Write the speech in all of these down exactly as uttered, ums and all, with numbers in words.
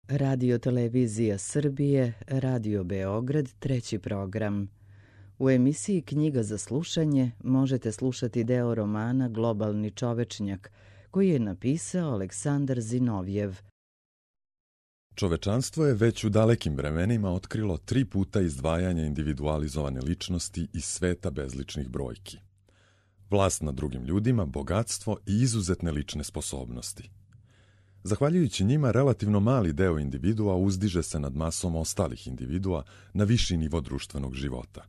Radio Televizija Srbije, Radio Beograd, treći program. U emisiji Knjiga za slušanje možete slušati deo romana Globalni čovečnjak, koji je napisao Aleksandar Zinovjev. Čovečanstvo je već u dalekim vremenima otkrilo tri puta izdvajanje individualizovane ličnosti iz sveta bezličnih brojki. Vlast nad drugim ljudima, bogatstvo i izuzetne lične sposobnosti. Zahvaljujući njima, relativno mali deo individua uzdiže se nad masom ostalih individua na viši nivo društvenog života.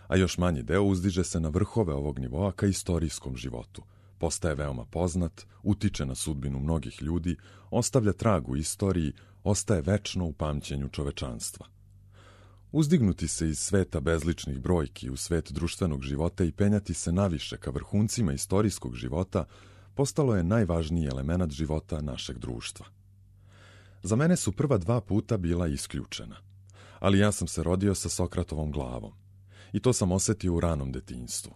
A još manji deo uzdiže se na vrhove ovog nivoa ka istorijskom životu. Postaje veoma poznat, utiče na sudbinu mnogih ljudi, ostavlja trag u istoriji, ostaje večno u pamćenju čovečanstva. Uzdignuti se iz sveta bezličnih brojki u svet društvenog života i penjati se naviše ka vrhuncima istorijskog života postalo je najvažniji element života našeg društva. Za mene su prva dva puta bila isključena, ali ja sam se rodio sa Sokratovom glavom i to sam osetio u ranom detinjstvu.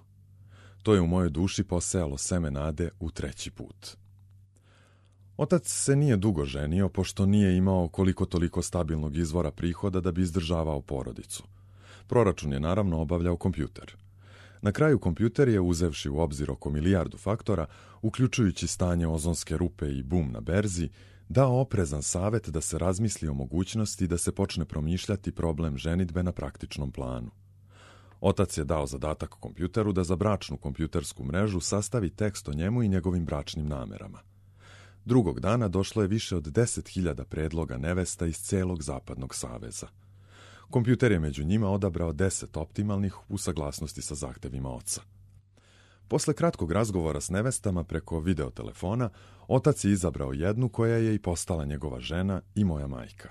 To je u mojoj duši posejalo seme nade u treći put. Otac se nije dugo ženio, pošto nije imao koliko toliko stabilnog izvora prihoda da bi izdržavao porodicu. Proračun je naravno obavljao kompjuter. Na kraju kompjuter je, uzevši u obzir oko milijardu faktora, uključujući stanje ozonske rupe i bum na berzi, dao oprezan savet da se razmisli o mogućnosti da se počne promišljati problem ženidbe na praktičnom planu. Otac je dao zadatak kompjuteru da za bračnu kompjutersku mrežu sastavi tekst o njemu i njegovim bračnim namerama. Drugog dana došlo je više od deset hiljada predloga nevesta iz celog Zapadnog saveza. Kompjuter je među njima odabrao deset optimalnih u saglasnosti sa zahtevima oca. Posle kratkog razgovora s nevestama preko videotelefona, otac je izabrao jednu koja je i postala njegova žena i moja majka.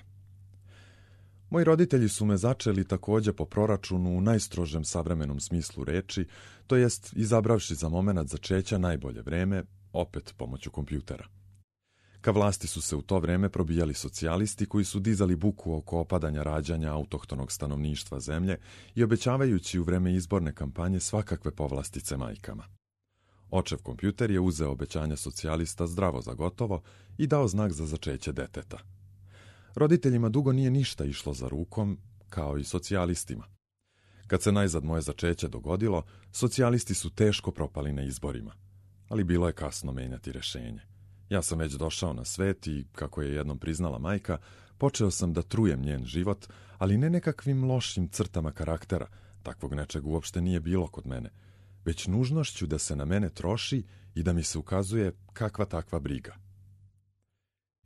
Moji roditelji su me začeli takođe po proračunu u najstrožem savremenom smislu reči, to jest izabravši za momenat začeća najbolje vreme, opet pomoću kompjutera. Ka vlasti su se u to vreme probijali socijalisti koji su dizali buku oko opadanja rađanja autohtonog stanovništva zemlje i obećavajući u vreme izborne kampanje svakakve povlastice majkama. Očev kompjuter je uzeo obećanja socijalista zdravo za gotovo i dao znak za začeće deteta. Roditeljima dugo nije ništa išlo za rukom, kao i socijalistima. Kad se najzad moje začeće dogodilo, socijalisti su teško propali na izborima, ali bilo je kasno menjati rešenje. Ja sam već došao na svet i, kako je jednom priznala majka, počeo sam da trujem njen život, ali ne nekakvim lošim crtama karaktera, takvog nečeg uopšte nije bilo kod mene, već nužnošću da se na mene troši i da mi se ukazuje kakva takva briga.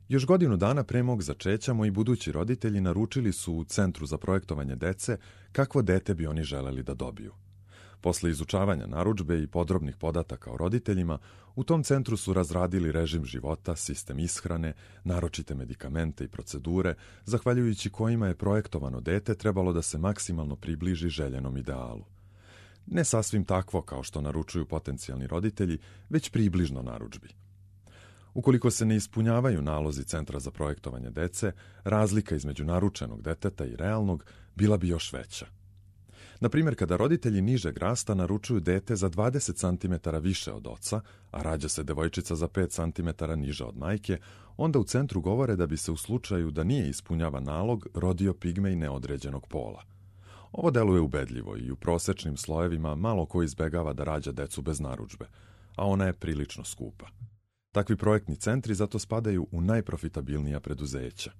Još godinu dana pre mog začeća moji budući roditelji naručili su u Centru za projektovanje dece kakvo dete bi oni želeli da dobiju. Posle izučavanja narudžbe i podrobnih podataka o roditeljima, u tom centru su razradili režim života, sistem ishrane, naročite medikamente i procedure, zahvaljujući kojima je projektovano dete trebalo da se maksimalno približi željenom idealu. Ne sasvim takvo kao što naručuju potencijalni roditelji, već približno narudžbi. Ukoliko se ne ispunjavaju nalozi Centra za projektovanje dece, razlika između naručenog deteta i realnog bila bi još veća. Na primjer, kada roditelji nižeg rasta naručuju dete za dvadeset centimetara više od oca, a rađa se devojčica za pet centimetara niža od majke, onda u centru govore da bi se u slučaju da nije ispunjava nalog rodio pigmej neodređenog pola. Ovo deluje ubedljivo i u prosečnim slojevima malo ko izbegava da rađa decu bez narudžbe, a ona je prilično skupa. Takvi projektni centri zato spadaju u najprofitabilnija preduzeća.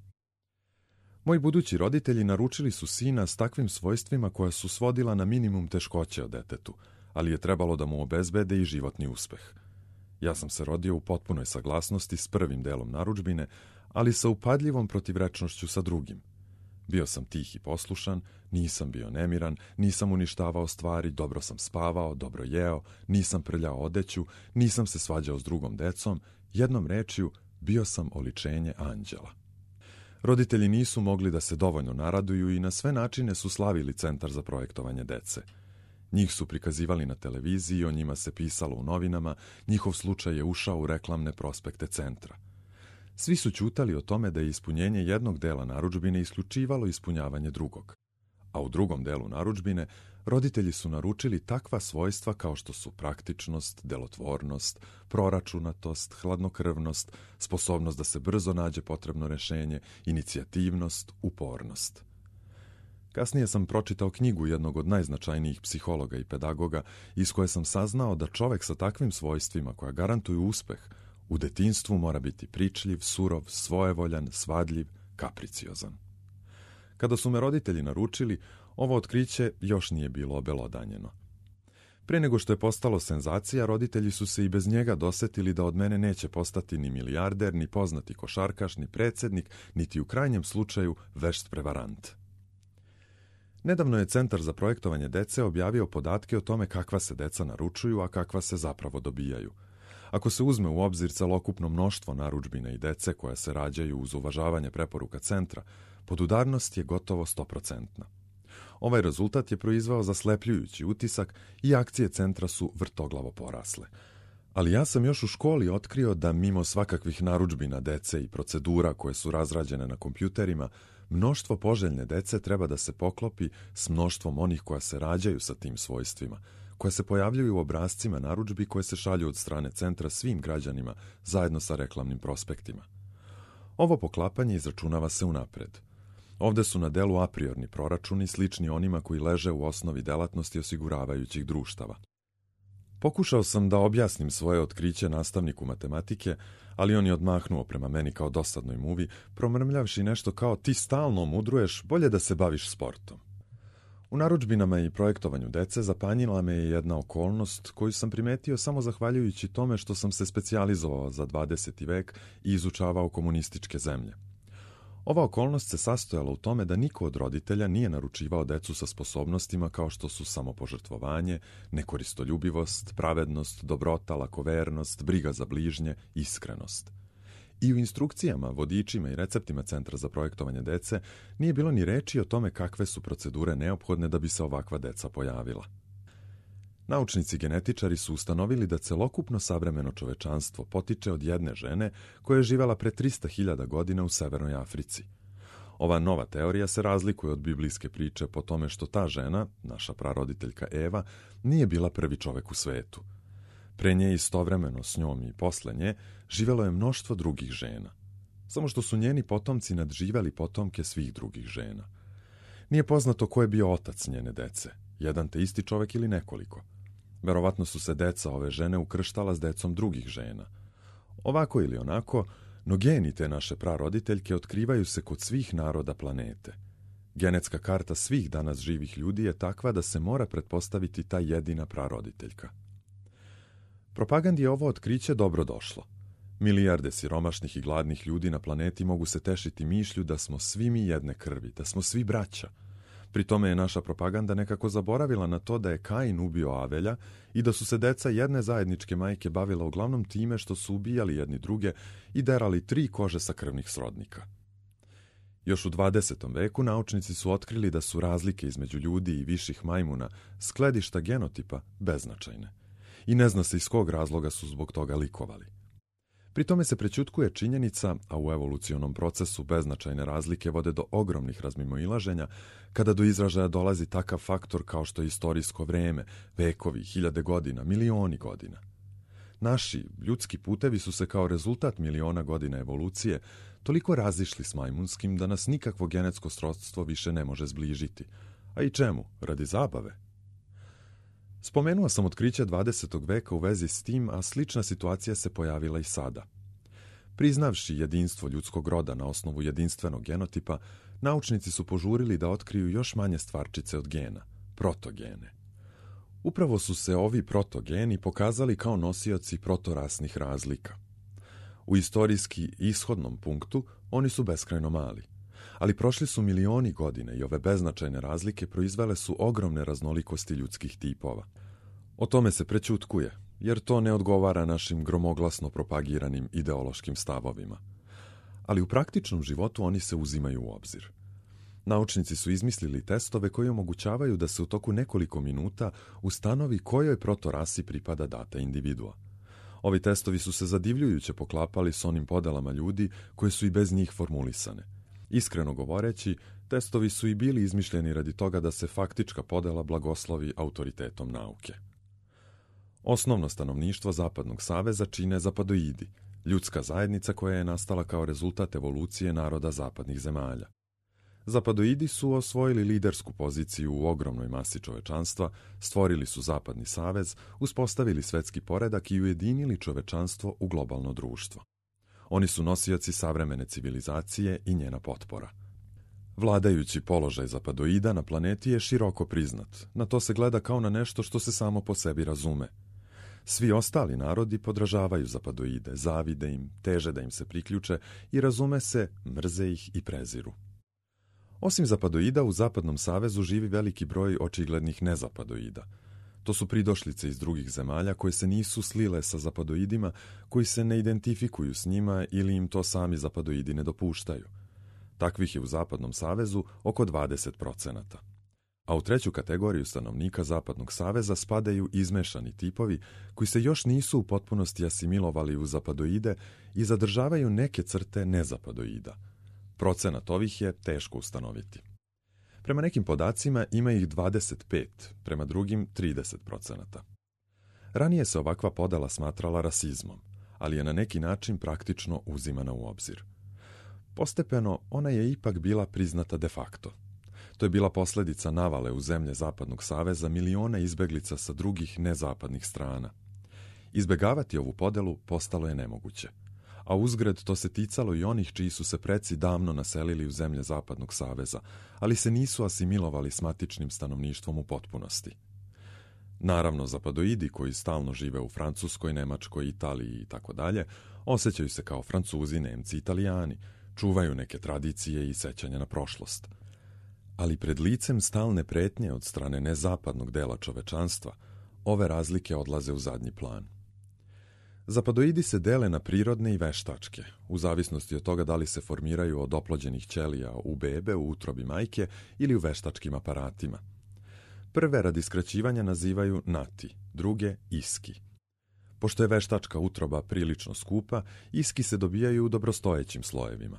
Moji budući roditelji naručili su sina s takvim svojstvima koja su svodila na minimum teškoće o detetu, ali je trebalo da mu obezbede i životni uspeh. Ja sam se rodio u potpunoj saglasnosti s prvim delom narudžbine, ali sa upadljivom protivrečnošću sa drugim. Bio sam tih i poslušan, nisam bio nemiran, nisam uništavao stvari, dobro sam spavao, dobro jeo, nisam prljao odeću, nisam se svađao s drugom decom, jednom rečju bio sam oličenje anđela. Roditelji nisu mogli da se dovoljno naraduju i na sve načine su slavili Centar za projektovanje dece. Njih su prikazivali na televiziji, o njima se pisalo u novinama, njihov slučaj je ušao u reklamne prospekte centra. Svi su ćutali o tome da je ispunjenje jednog dela narudžbine isključivalo ispunjavanje drugog. a u drugom delu narudžbine roditelji su naručili takva svojstva kao što su praktičnost, delotvornost, proračunatost, hladnokrvnost, sposobnost da se brzo nađe potrebno rešenje, inicijativnost, upornost. Kasnije sam pročitao knjigu jednog od najznačajnijih psihologa i pedagoga iz koje sam saznao da čovek sa takvim svojstvima koja garantuju uspeh u detinjstvu mora biti pričljiv, surov, svojevoljan, svadljiv, kapriciozan. Kada su me roditelji naručili, ovo otkriće još nije bilo obelodanjeno. Pre nego što je postalo senzacija, roditelji su se i bez njega dosetili da od mene neće postati ni milijarder, ni poznati košarkaš, ni predsjednik, niti u krajnjem slučaju vešt prevarant. Nedavno je Centar za projektovanje dece objavio podatke o tome kakva se deca naručuju, a kakva se zapravo dobijaju. Ako se uzme u obzir celokupno mnoštvo narudžbine i dece koja se rađaju uz uvažavanje preporuka centra, podudarnost je gotovo stoprocentna. Ovaj rezultat je proizveo zaslepljujući utisak i akcije centra su vrtoglavo porasle. Ali ja sam još u školi otkrio da mimo svakakvih narudžbina dece i procedura koje su razrađene na kompjuterima, mnoštvo poželjne dece treba da se poklopi s mnoštvom onih koja se rađaju sa tim svojstvima, koje se pojavljuju u obrascima narudžbi koje se šalju od strane centra svim građanima zajedno sa reklamnim prospektima. Ovo poklapanje izračunava se unapred. Ovde su na delu apriorni proračuni slični onima koji leže u osnovi delatnosti osiguravajućih društava. Pokušao sam da objasnim svoje otkriće nastavniku matematike, ali on je odmahnuo prema meni kao dosadnoj muvi, promrmljavši nešto kao ti stalno mudruješ, bolje da se baviš sportom. U narudžbinama i projektovanju dece zapanjila me je jedna okolnost koju sam primetio samo zahvaljujući tome što sam se specijalizovao za dvadeseti vek i izučavao komunističke zemlje. Ova okolnost se sastojala u tome da niko od roditelja nije naručivao decu sa sposobnostima kao što su samopožrtvovanje, nekoristoljubivost, pravednost, dobrota, lakovernost, briga za bližnje, iskrenost. I u instrukcijama, vodičima i receptima Centra za projektovanje dece nije bilo ni reči o tome kakve su procedure neophodne da bi se ovakva deca pojavila. Naučnici genetičari su ustanovili da celokupno savremeno čovečanstvo potiče od jedne žene koja je živela pre trista hiljada godina u Severnoj Africi. Ova nova teorija se razlikuje od biblijske priče po tome što ta žena, naša praroditeljka Eva, nije bila prvi čovek u svetu. Pre nje istovremeno s njom i posle nje živelo je mnoštvo drugih žena. Samo što su njeni potomci nadživeli potomke svih drugih žena. Nije poznato ko je bio otac njene dece, jedan te isti čovek ili nekoliko. Verovatno su se deca ove žene ukrštala s decom drugih žena. Ovako ili onako, no geni te naše praroditeljke otkrivaju se kod svih naroda planete. Genetska karta svih danas živih ljudi je takva da se mora pretpostaviti ta jedina praroditeljka. Propagandi je ovo otkriće dobro došlo. Milijarde siromašnih i gladnih ljudi na planeti mogu se tešiti mišlju da smo svi mi jedne krvi, da smo svi braća. Pri tome je naša propaganda nekako zaboravila na to da je Kain ubio Avelja i da su se deca jedne zajedničke majke bavila uglavnom time što su ubijali jedni druge i derali tri kože sa krvnih srodnika. Još u dvadesetom veku naučnici su otkrili da su razlike između ljudi i viših majmuna skledišta genotipa beznačajne. I ne zna se iz kog razloga su zbog toga likovali. Pri tome se prećutkuje činjenica, a u evolucionom procesu beznačajne razlike vode do ogromnih razmimoilaženja, kada do izražaja dolazi takav faktor kao što je istorijsko vreme, vekovi, hiljade godina, milioni godina. Naši, ljudski putevi su se kao rezultat miliona godina evolucije toliko razišli s majmunskim da nas nikakvo genetsko srodstvo više ne može zbližiti. A i čemu? Radi zabave? Spomenuo sam otkriće dvadesetog veka u vezi s tim, a slična situacija se pojavila i sada. Priznavši jedinstvo ljudskog roda na osnovu jedinstvenog genotipa, naučnici su požurili da otkriju još manje stvarčice od gena, protogene. Upravo su se ovi protogeni pokazali kao nosioci protorasnih razlika. U istorijski ishodnom punktu oni su beskrajno mali, ali prošli su milioni godina i ove beznačajne razlike proizvele su ogromne raznolikosti ljudskih tipova. O tome se prećutkuje, jer to ne odgovara našim gromoglasno propagiranim ideološkim stavovima. Ali u praktičnom životu oni se uzimaju u obzir. Naučnici su izmislili testove koji omogućavaju da se u toku nekoliko minuta ustanovi kojoj protorasi pripada data individua. Ovi testovi su se zadivljujuće poklapali s onim podelama ljudi koje su i bez njih formulisane. Iskreno govoreći, testovi su i bili izmišljeni radi toga da se faktička podela blagoslovi autoritetom nauke. Osnovno stanovništvo Zapadnog saveza čine zapadoidi, ljudska zajednica koja je nastala kao rezultat evolucije naroda zapadnih zemalja. Zapadoidi su osvojili lidersku poziciju u ogromnoj masi čovečanstva, stvorili su Zapadni savez, uspostavili svetski poredak i ujedinili čovečanstvo u globalno društvo. Oni su nosioci savremene civilizacije i njena potpora. Vladajući položaj zapadoida na planeti je široko priznat. Na to se gleda kao na nešto što se samo po sebi razume. Svi ostali narodi podražavaju zapadoide, zavide im, teže da im se priključe i razume se, mrze ih i preziru. Osim zapadoida, u Zapadnom savezu živi veliki broj očiglednih nezapadoida. To su pridošlice iz drugih zemalja koje se nisu slile sa zapadoidima, koji se ne identifikuju s njima ili im to sami zapadoidi ne dopuštaju. Takvih je u Zapadnom savezu oko dvadeset procenata. A u treću kategoriju stanovnika Zapadnog saveza spadaju izmešani tipovi koji se još nisu u potpunosti asimilovali u zapadoide i zadržavaju neke crte nezapadoida. Procenat ovih je teško ustanoviti. Prema nekim podacima ima ih dvadeset pet, prema drugim trideset procenata. Ranije se ovakva podela smatrala rasizmom, ali je na neki način praktično uzimana u obzir. Postepeno ona je ipak bila priznata de facto. To je bila posljedica navale u zemlje Zapadnog saveza miliona izbeglica sa drugih nezapadnih strana. Izbegavati ovu podelu postalo je nemoguće. A uzgred to se ticalo i onih čiji su se preci davno naselili u zemlje Zapadnog saveza, ali se nisu asimilovali s matičnim stanovništvom u potpunosti. Naravno, zapadoidi koji stalno žive u Francuskoj, Nemačkoj, Italiji i tako dalje, osjećaju se kao Francuzi, Nemci, Italijani, čuvaju neke tradicije i sećanja na prošlost. Ali pred licem stalne pretnje od strane nezapadnog dela čovečanstva, ove razlike odlaze u zadnji plan. Zapadoidi se dele na prirodne i veštačke, u zavisnosti od toga da li se formiraju od oplođenih ćelija u bebe u utrobi majke ili u veštačkim aparatima. Prve radi skraćivanja nazivaju nati, druge iski. Pošto je veštačka utroba prilično skupa, iski se dobijaju u dobrostojećim slojevima.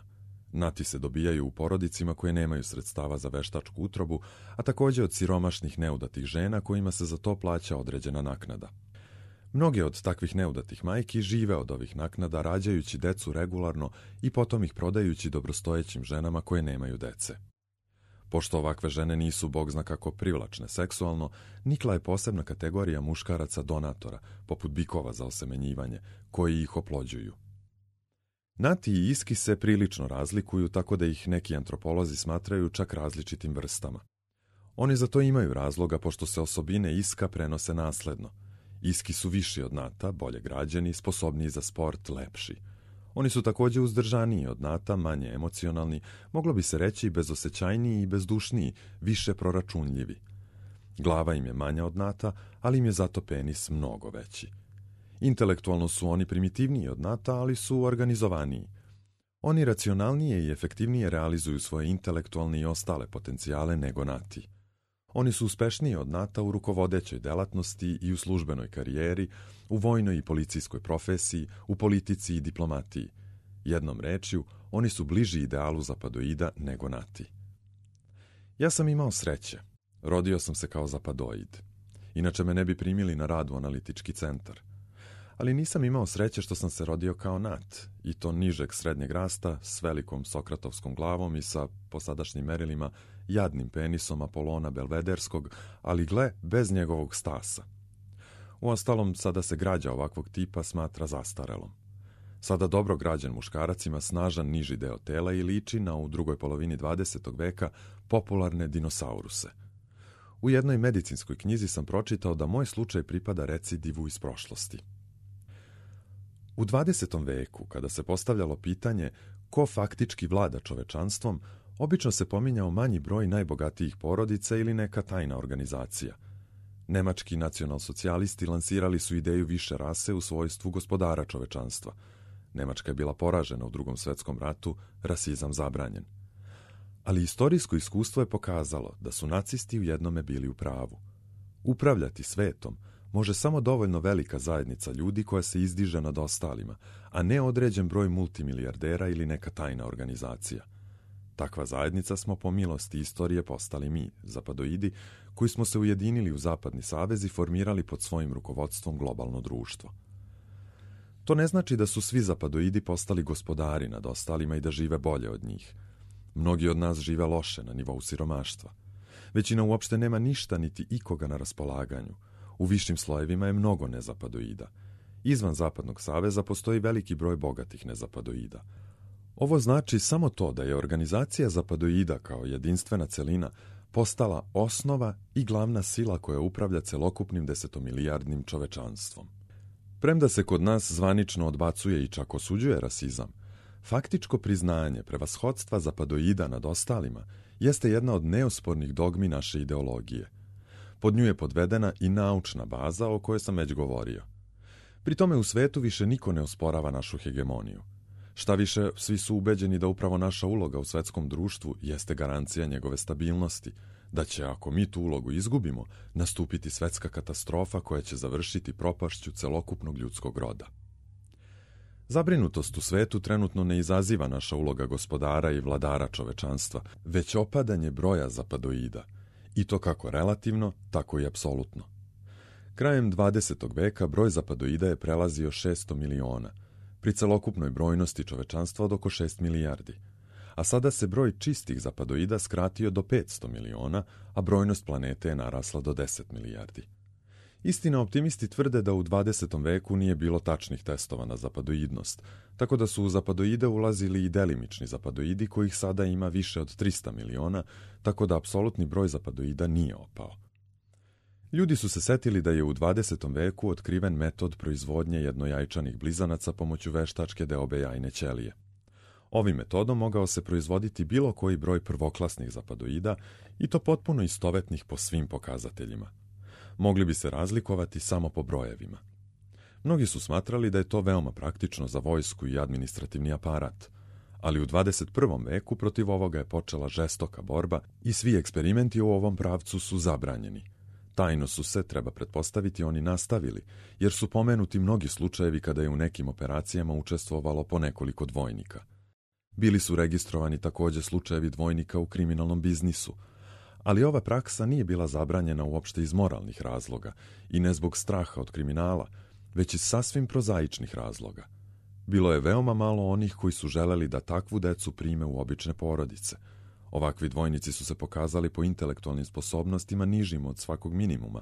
Nati se dobijaju u porodicima koje nemaju sredstava za veštačku utrobu, a također od siromašnih neudatih žena kojima se za to plaća određena naknada. Mnoge od takvih neudatih majki žive od ovih naknada rađajući decu regularno i potom ih prodajući dobrostojećim ženama koje nemaju dece. Pošto ovakve žene nisu bog zna kako privlačne seksualno, nikla je posebna kategorija muškaraca donatora, poput bikova za osemenjivanje, koji ih oplođuju. Nati i iski se prilično razlikuju, tako da ih neki antropolozi smatraju čak različitim vrstama. Oni za to imaju razloga, pošto se osobine iska prenose nasledno. Iski su viši od nata, bolje građeni, sposobniji za sport, lepši. Oni su također uzdržaniji od nata, manje emocionalni, moglo bi se reći bezosećajniji i bezdušniji, više proračunljivi. Glava im je manja od nata, ali im je zato penis mnogo veći. Intelektualno su oni primitivniji od nata, ali su organizovaniji. Oni racionalnije i efektivnije realizuju svoje intelektualne i ostale potencijale nego nati. Oni su uspešniji od nata u rukovodećoj delatnosti i u službenoj karijeri, u vojnoj i policijskoj profesiji, u politici i diplomatiji. Jednom rečju, oni su bliži idealu zapadoida nego nati. Ja sam imao sreće. Rodio sam se kao zapadoid. Inače me ne bi primili na rad u analitički centar. Ali nisam imao sreće što sam se rodio kao nat, i to nižeg srednjeg rasta, s velikom sokratovskom glavom i sa, po sadašnjim merilima, jadnim penisom Apolona Belvederskog, ali gle, bez njegovog stasa. Uostalom, sada se građa ovakvog tipa smatra zastarelom. Sada dobro građen muškarac ima snažan niži deo tela i liči na u drugoj polovini dvadesetog veka popularne dinosauruse. U jednoj medicinskoj knjizi sam pročitao da moj slučaj pripada recidivu iz prošlosti. U dvadesetom veku, kada se postavljalo pitanje ko faktički vlada čovečanstvom, obično se pominjao manji broj najbogatijih porodica ili neka tajna organizacija. Nemački nacionalsocijalisti lansirali su ideju više rase u svojstvu gospodara čovečanstva. Nemačka je bila poražena u Drugom svjetskom ratu, rasizam zabranjen. Ali istorijsko iskustvo je pokazalo da su nacisti u jednome bili u pravu. Upravljati svetom može samo dovoljno velika zajednica ljudi koja se izdiže nad ostalima, a ne određen broj multimilijardera ili neka tajna organizacija. Takva zajednica smo po milosti istorije postali mi, zapadoidi, koji smo se ujedinili u Zapadni savez i formirali pod svojim rukovodstvom globalno društvo. To ne znači da su svi zapadoidi postali gospodari nad ostalima i da žive bolje od njih. Mnogi od nas žive loše na nivou siromaštva. Većina uopšte nema ništa niti ikoga na raspolaganju. U višim slojevima je mnogo nezapadoida. Izvan Zapadnog saveza postoji veliki broj bogatih nezapadoida. Ovo znači samo to da je organizacija zapadoida kao jedinstvena celina postala osnova i glavna sila koja upravlja celokupnim desetomiliardnim čovečanstvom. Premda se kod nas zvanično odbacuje i čak osuđuje rasizam, faktičko priznanje prevashodstva zapadoida nad ostalima jeste jedna od neospornih dogmi naše ideologije. Pod nju je podvedena i naučna baza o kojoj sam već govorio. Pri tome u svetu više niko ne osporava našu hegemoniju. Šta više, svi su ubeđeni da upravo naša uloga u svetskom društvu jeste garancija njegove stabilnosti, da će, ako mi tu ulogu izgubimo, nastupiti svetska katastrofa koja će završiti propašću celokupnog ljudskog roda. Zabrinutost u svetu trenutno ne izaziva naša uloga gospodara i vladara čovečanstva, već opadanje broja zapadoida, i to kako relativno, tako i apsolutno. Krajem dvadesetog veka broj zapadoida je prelazio šesto miliona, pri celokupnoj brojnosti čovečanstva od oko šest milijardi, a sada se broj čistih zapadoida skratio do petsto miliona, a brojnost planete je narasla do deset milijardi. Istina, optimisti tvrde da u dvadesetom veku nije bilo tačnih testova na zapadoidnost, tako da su u zapadoide ulazili i delimični zapadoidi kojih sada ima više od trista miliona, tako da apsolutni broj zapadoida nije opao. Ljudi su se setili da je u dvadesetom veku otkriven metod proizvodnje jednojajčanih blizanaca pomoću veštačke deobe jajne ćelije. Ovim metodom mogao se proizvoditi bilo koji broj prvoklasnih zapadoida i to potpuno istovetnih po svim pokazateljima. Mogli bi se razlikovati samo po brojevima. Mnogi su smatrali da je to veoma praktično za vojsku i administrativni aparat, ali u dvadeset prvom veku protiv ovoga je počela žestoka borba i svi eksperimenti u ovom pravcu su zabranjeni. Tajno su se, treba pretpostaviti, oni nastavili, jer su pomenuti mnogi slučajevi kada je u nekim operacijama učestvovalo po nekoliko dvojnika. Bili su registrovani također slučajevi dvojnika u kriminalnom biznisu, ali ova praksa nije bila zabranjena uopšte iz moralnih razloga i ne zbog straha od kriminala, već iz sasvim prozaičnih razloga. Bilo je veoma malo onih koji su želeli da takvu decu prime u obične porodice. Ovakvi dvojnici su se pokazali po intelektualnim sposobnostima nižim od svakog minimuma,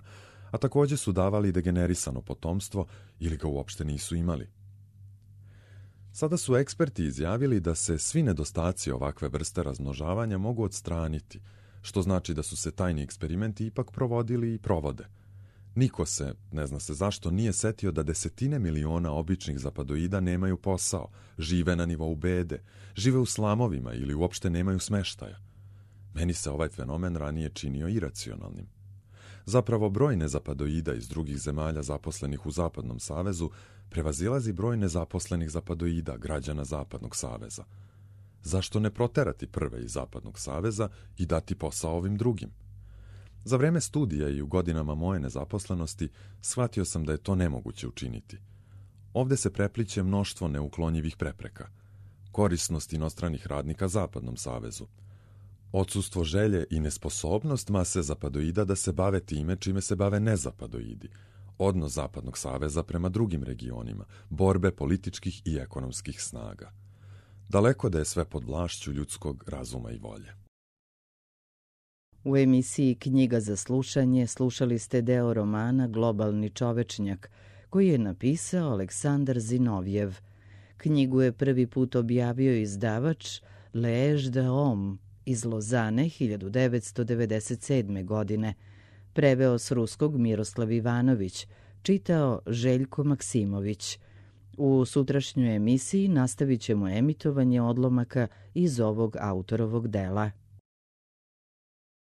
a također su davali degenerisano potomstvo ili ga uopšte nisu imali. Sada su eksperti izjavili da se svi nedostaci ovakve vrste razmnožavanja mogu odstraniti, što znači da su se tajni eksperimenti ipak provodili i provode. Niko se, ne zna se zašto, nije setio da desetine miliona običnih zapadoida nemaju posao, žive na nivou bede, žive u slamovima ili uopšte nemaju smeštaja. Meni se ovaj fenomen ranije činio iracionalnim. Zapravo, broj nezapadoida iz drugih zemalja zaposlenih u Zapadnom savezu prevazilazi broj nezaposlenih zapadoida građana Zapadnog saveza. Zašto ne proterati prve iz Zapadnog saveza i dati posao ovim drugim? Za vreme studija i u godinama moje nezaposlenosti shvatio sam da je to nemoguće učiniti. Ovde se prepliće mnoštvo neuklonjivih prepreka. Korisnost inostranih radnika Zapadnom savezu. Odsustvo želje i nesposobnost mase zapadoida da se bave time čime se bave nezapadoidi. Odnos Zapadnog saveza prema drugim regionima, borbe političkih i ekonomskih snaga. Daleko da je sve pod vlašću ljudskog razuma i volje. U emisiji Knjiga za slušanje slušali ste deo romana Globalni čovečnjak, koji je napisao Aleksandar Zinovjev. Knjigu je prvi put objavio izdavač L'Age de Homme iz Lozane hiljadu devetsto devedeset sedme. godine. Preveo s ruskog Miroslav Ivanović, čitao Željko Maksimović. U sutrašnjoj emisiji nastavit ćemo emitovanje odlomaka iz ovog autorovog dela.